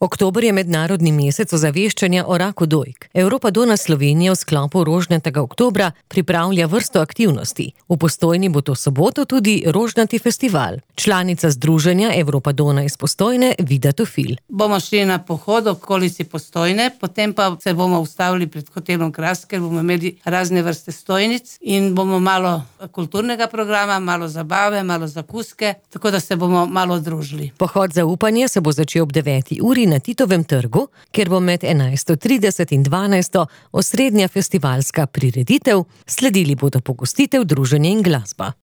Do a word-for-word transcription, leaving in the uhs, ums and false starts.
Oktober je mednarodni mesec ozaveščanja o raku dojk. Europa Dona Slovenija v sklopu Rožnatega oktobra pripravlja vrsto aktivnosti. V Postojni bo to soboto tudi Rožnati festival. Članica združenja Europa Dona iz Postojne, Vida Tofil. Bomo šli na pohod okolici Postojne, potem pa se bomo ustavili pred hotelom Kras, ker bomo imeli razne vrste stojnic in bomo malo kulturnega programa, malo zabave, malo zakuske, tako da se bomo malo družili. Pohod za upanje se bo začel ob deveti uri na Titovem trgu, kjer bo med enajsto trideset in dvanajsto osrednja festivalska prireditev, sledili bodo pogostitev, druženje in glasba.